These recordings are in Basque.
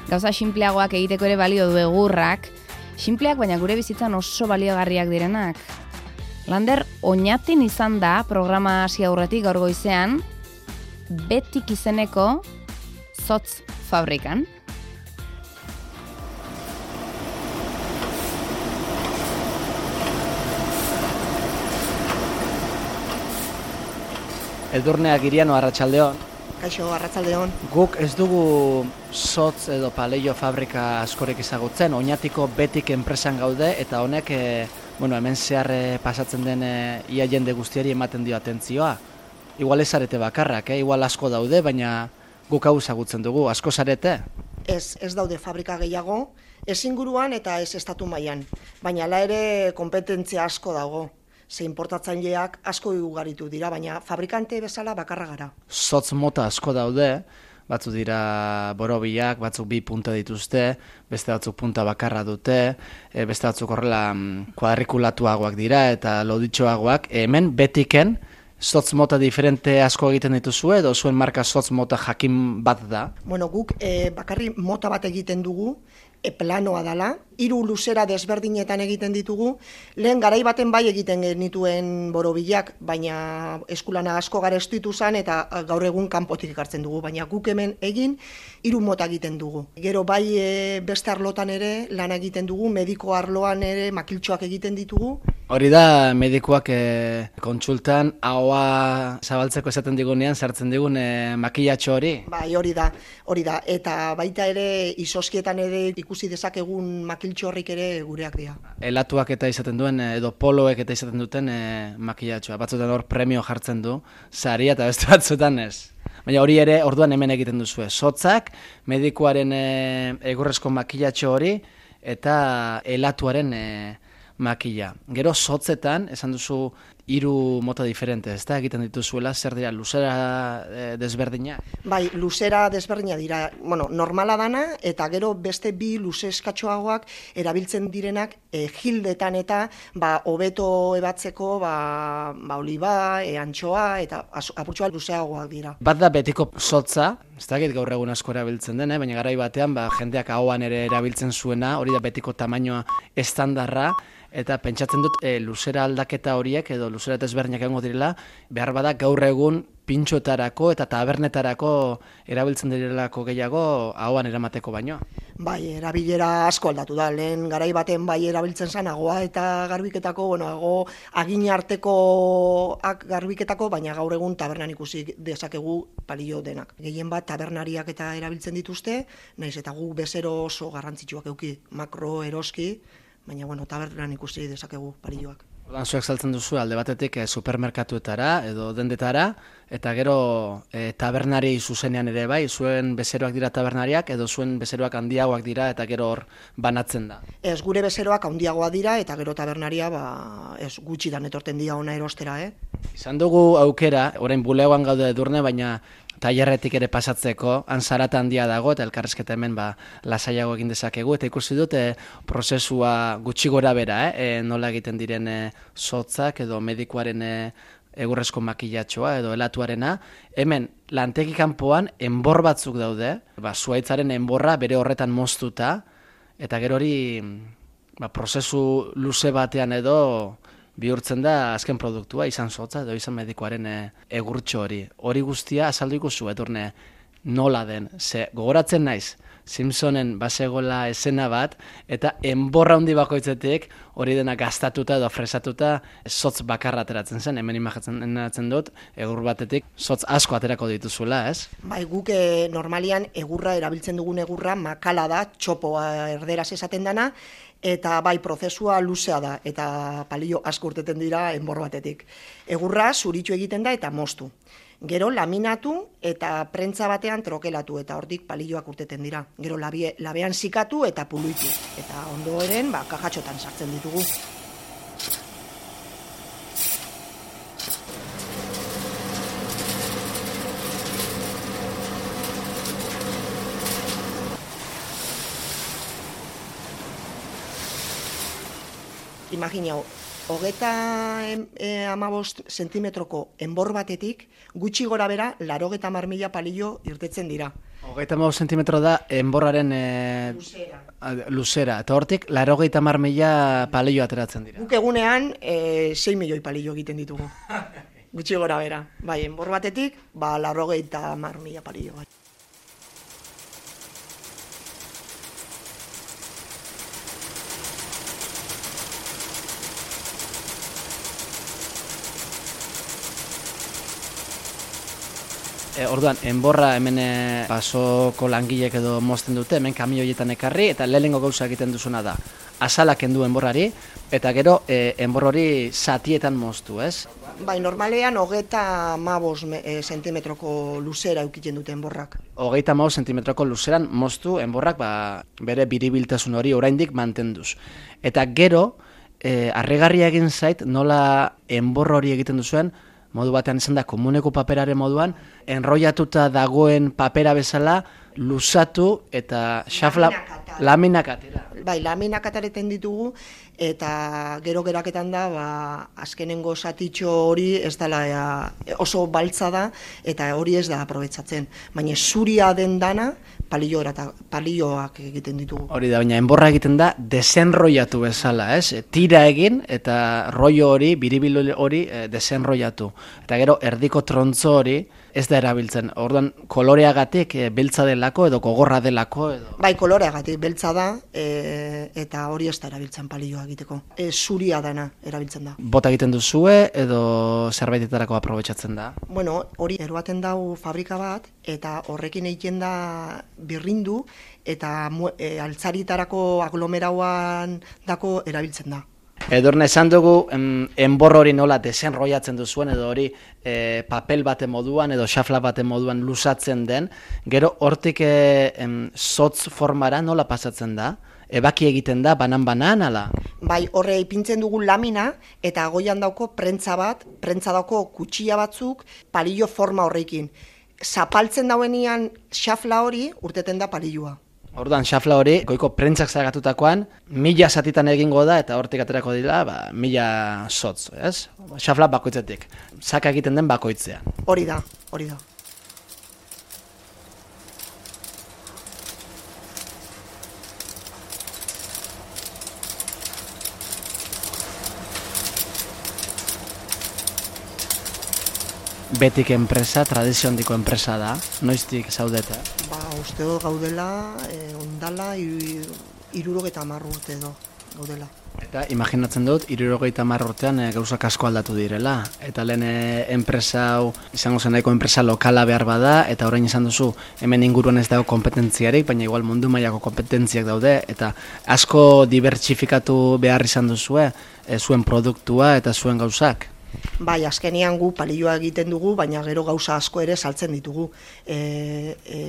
Gauza sinpleagoak egiteko ere balio du egurrak, sinpleak baina gure bizitzan oso baliogarriak direnak. Lander Oñatin izan da programa hasi aurretik gaur goizean, Betik izeneko zotz fabrikan. Edurne Agiriano, arratsaldeon. Kaixo, arratsaldeon. Guk ez dugu zotz edo paleio fabrika askorik ezagutzen, Oñatiko Betik enpresan gaude, eta honek hemen zehar pasatzen den ia jende guztiari ematen dio atentzioa. Igual ez zarete bakarrak, igual asko daude, baina guk hau ezagutzen dugu, asko zarete? Ez daude fabrika gehiago, ez inguruan eta ez estatu mailan, baina hala ere konpetentzia asko dago. Ze importatzaileak asko ugaritu dira, baina fabrikante bezala bakarra gara. Zotz mota asko daude, batzuk dira borobilak, batzuk 2 punta dituzte, beste batzuk punta bakarra dute, beste batzuk horrela kuadrikulatuagoak dira eta loditxoagoak. Hemen Betiken zotz mota diferente asko egiten dituzue edo zuen marka zotz mota jakin bat da? Bueno, guk bakarri mota bat egiten dugu, planoa dala, 3 luzera desberdinetan egiten ditugu, lehen garai baten bai egiten genituen borobilak, baina eskulana asko garestitu zen eta gaur egun kanpotik ekartzen dugu, baina guk hemen egin 3 mota egiten dugu. Gero bai beste arlotan ere lan egiten dugu, mediko arloan ere makiltxoak egiten ditugu. Hori da medikuak kontsultan ahoa zabaltzeko esaten digunean sartzen digun makillatxo hori? Bai, hori da, eta baita ere izoskietan ere ikusi dezakegun makiltxo horrik ere gureak dira. Elatuak eta izaten duen, edo poloek eta izaten duten makillatxoa. Batzutan hor premio jartzen du, saria eta beste batzutan ez. Baina hori ere orduan hemen egiten duzue. Zotzak, medikuaren egurrezko makillatxo hori eta elatuaren makilla. Gero zotzetan, esan duzu 3 mota diferente, ez da egiten dituzuela, zer dira, luzera desberdina? Bai, luzera desberdina dira, normala dana, eta gero beste 2 luze eskatxoagoak erabiltzen direnak jildetan eta hobeto ebatzeko oliba, antxoa, eta apurtxoa luzeagoak dira. Bat da Betiko zotza, ez da gaur egun asko erabiltzen den, baina garai batean jendeak ahoan ere erabiltzen zuena, hori da Betiko tamainoa estandarra, eta pentsatzen dut luzera aldaketa horiek edo luzera desberdinak egongo direla, behar bada gaur egun pintxoetarako eta tabernetarako erabiltzen direlako gehiago ahoan eramateko baino. Bai, erabilera asko aldatu da, lehen garai baten bai erabiltzen zen agoa eta garbiketako, agin artekoak garbiketako, baina gaur egun tabernan ikusi dezakegu palillo denak. Gehien bat tabernariak eta erabiltzen dituzte, naiz eta gu bezero oso garrantzitsuak eduki, makro, eroski, baina tabernan ikusi dezakegu palilloak. Ordan zuek saltzen duzu alde batetik supermerkatuetara edo dendetara, eta gero tabernari zuzenean ere bai, zuen bezeroak dira tabernariak edo zuen bezeroak handiagoak dira eta gero hor banatzen da? Ez, gure bezeroak handiagoa dira eta gero tabernaria ez gutxitan etorten dira ona erostera, Izan dugu aukera, orain bulegoan gaude Edurne, baina tailerretik ere pasatzeko, han zarata handia dago eta elkarrezketa hemen lasaiago egin dezakegu, eta ikusi dut prozesua gutxi gora bera, nola egiten diren zotzak edo medikuaren egurrezko makillatxoa edo elatuarena. Hemen lantegi kanpoan enbor batzuk daude, zuhaitzaren enborra bere horretan moztuta, eta gero hori prozesu luze batean edo bihurtzen da azken produktua, izan zotza edo izan medikuaren egurtxo hori. Hori guztia azaldu ikuzu, Edurne, nola den, ze gogoratzen naiz, Simpsonen basegola esena bat, eta enborra handi bakoitzetik hori dena gastatuta edo fresatuta zotz bakarra ateratzen zen, hemen imaginatzen dut, egur batetik zotz asko aterako dituzuela, ez? Bai, guk normalian egurra, erabiltzen dugun egurra, makala da, txopoa erderaz esaten dana, eta bai, prozesua luzea da, eta palillo asko urteten dira enbor batetik. Egurra zuritu egiten da eta moztu. Gero laminatu eta prentza batean trokelatu eta hortik palilloak urteten dira. Gero labean zikatu eta puluitu. Eta ondoren kajatxotan sartzen ditugu. Imaginau, 35 zentimetroko enbor batetik, gutxi gora bera, 90.000 palillo irtetzen dira. 35 zentimetro da enborraren luzera. Eta hortik, 80.000 palillo ateratzen dira. Guk egunean 6 milioi palillo egiten ditugu. Gutxi gora bera. Bai, enbor batetik, 80.000 palillo. Bai. Orduan, enborra hemen basoko langilek edo mozten dute, hemen kamioietan ekarri, eta lehenengo gauza egiten duzuna da. Azalak kendu enborrari, eta gero enbor hori zatietan moztu, ez? Bai, normalean 35 zentimetroko luzera eukiten dute enborrak. 35 zentimetroko luzeran moztu enborrak bere biribiltasun hori oraindik mantenduz. Eta gero, harrigarria egin zait nola enbor hori egiten duzuen, modu batean izan da komuneko paperaren moduan, enrollatuta dagoen papera bezala, luzatu eta xafla laminak atera. Bai, laminak atareten ditugu, eta gero geraketan da, azkenengo zatitxo hori ez dela oso baltza da, eta hori ez da aprobetsatzen. Baina zuria den dana, palilloak egiten ditugu. Hori da, baina enborra egiten da desenrollatu bezala, ez? Tira egin eta rollo hori, biribil hori desenrollatu. Eta gero erdiko trontzo hori ez da erabiltzen. Orduan koloreagatik beltza delako edo gogorra delako edo. Bai, koloreagatik beltza da eta hori ez da erabiltzen palilloa egiteko. Zuria dana erabiltzen da. Bota egiten duzue edo zerbaitetarako aprobetxatzen da? Bueno, hori eroaten dau fabrika bat eta horrekin egiten da birrindu eta altzaritarako aglomerauan dako erabiltzen da. Edurne, esan dugu enbor hori nola desenrollatzen duzuen edo hori papel baten moduan edo xafla baten moduan luzatzen den, gero hortik zotz formara nola pasatzen da? Ebaki egiten da, banan-banan, ala? Bai, horre ipintzen dugu lamina eta goian dauko prentza dauko kutxia batzuk palillo forma horrekin. Zapaltzen dauenian xafla hori urteten da palilloa. Orduan, xafla hori, goiko prentzak zagatutakoan, 1000 zatitan egingo da, eta hortik aterako dira, 1000 zotz, ez? Xafla bakoitzetik. Zaka egiten den bakoitzea. Hori da, hori da. Betik enpresa, tradizio handiko enpresa da, noiztik zaudete? Uste dut gaudela, ondala, 70 urte edo gaudela. Eta imaginatzen dut, 70 urtean gauzak asko aldatu direla. Eta lehen enpresa hau, izango zen nahiko enpresa lokala behar bada, eta orain izan duzu, hemen inguruan ez dago kompetentziarik, baina igual mundu mailako kompetentziak daude, eta asko dibertsifikatu behar izan duzue, zuen produktua eta zuen gauzak. Bai, azkenean gu palilloa egiten dugu, baina gero gauza asko ere saltzen ditugu.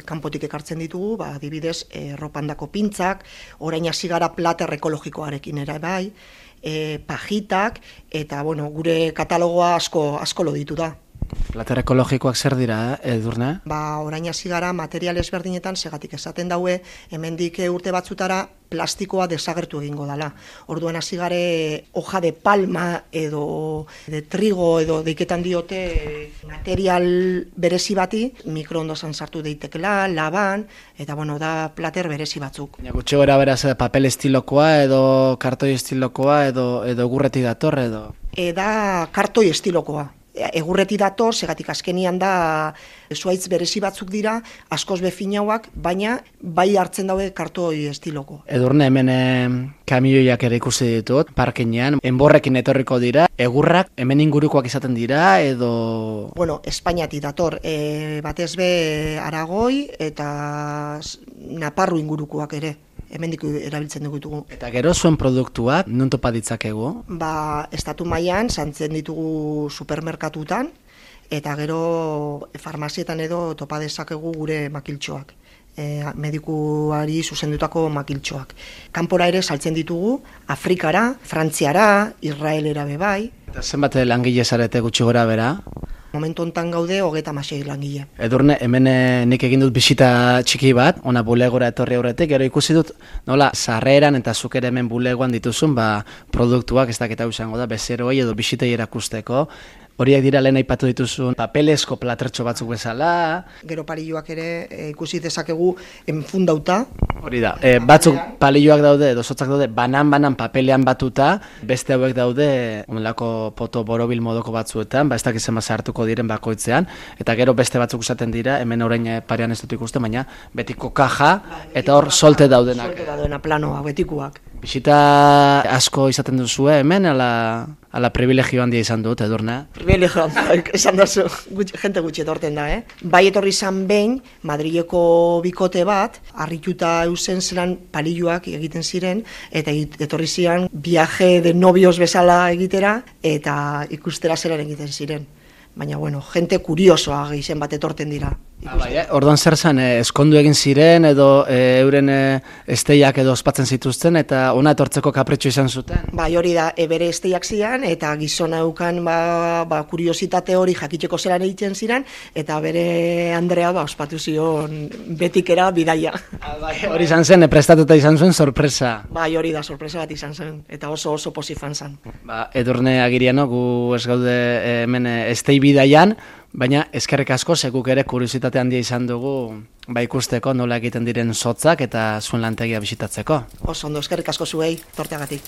Kanpotik ekartzen ditugu, adibidez, erropandako pintzak, orain hasi gara plater ekologikoarekin ere bai, pajitak, eta gure katalogoa asko loditu da. Plater ekologikoak zer dira, Edurne? Orain hasi gara material ezberdinetan segatik esaten daue, hemendik urte batzutara plastikoa desagertu egingo dela. Orduan hasi gare hoja de palma edo de trigo edo deiketan diote material berezi bati, mikroondosan sartu deitekela, laban, eta da plater berezi batzuk. Gutxi gora beraz papel estilokoa edo kartoi estilokoa edo egurretik dator edo? Da kartoi estilokoa. Egurreti dator, segatik azkenian da zuaitz berezi batzuk dira, askoz befinauak, baina bai hartzen daue kartoi estiloko. Edurne, hemen kamioiak ere ikusi ditut, parkinean, enborrekin etorriko dira, egurrak hemen ingurukoak izaten dira, edo... Espainiatik dator, batez be Aragoi eta Naparru ingurukoak ere. Hemendik erabiltzen dugu. Eta gero zuen produktuak, non topa ditzakegu? Estatu mailan santzen ditugu supermerkatutan, eta gero farmazietan edo topa dezakegu gure makiltxoak. Medikuari zuzendutako makiltxoak. Kanpora ere saltzen ditugu, Afrikara, Frantziara, Israelera bebai. Eta zenbat langile zarete gutxi gora bera? Momentu hontan gaude 36 langile. Edurne, hemen nik egin dut bisita txiki bat, ona bulegora etorri aurretik, gero ikusi dut nola sarreran eta zuk ere hemen bulegoan dituzun produktuak, ez dakit hau izango da, bezeroi edo bisitei erakusteko, Horiek dira lehen aipatu dituzun papelezko platertxo batzuk bezala. Gero palilloak ere ikusi dezakegu enfundauta. Hori da, batzuk palilloak daude, edo zotzak daude, banan papelean batuta, beste hauek daude, onelako poto borobil modoko batzuetan, ez dakiz ema hartuko diren bakoitzean, eta gero beste batzuk usaten dira, hemen orain parean ez dut ikusten, baina betiko kaja, eta hor solte daudenak. Solte daudena planoa, betikuak. Bisita asko izaten duzue hemen, ala privilegio handia izan dut, Edurne? Privilegio handia, esan dazu, jente gutxi etorten da, Bai etorri izan behin, Madrileko bikote bat, harrituta eusen zelan palilloak egiten ziren, eta etorri ziren viaje de novios bezala egitera, eta ikustera zelan egiten ziren. Baina, bueno, jente kuriosoa gehien bat etorten dira. Orduan zer zen, eskondu egin ziren edo euren esteiak edo ospatzen zituzten eta ona etortzeko kapritxo izan zuten? Bai, hori da, bere esteiak zian eta gizona eukan kuriositate hori jakiteko zelan egiten ziren eta bere Andrea ospatu zion betikera bidaia. Hori izan zen, prestatuta izan zuen sorpresa. Bai, hori da, sorpresa bat izan zen eta oso posifan zen. Edurne Agiriano, gu ez gaude hemen estei bidaian, baina eskerrik asko seguk ere kuriositate handia izan dugu ikusteko nola egiten diren sotzak eta zuen lantegia bisitatzeko. Oso ondo, eskerrik asko zuei, torteagatik.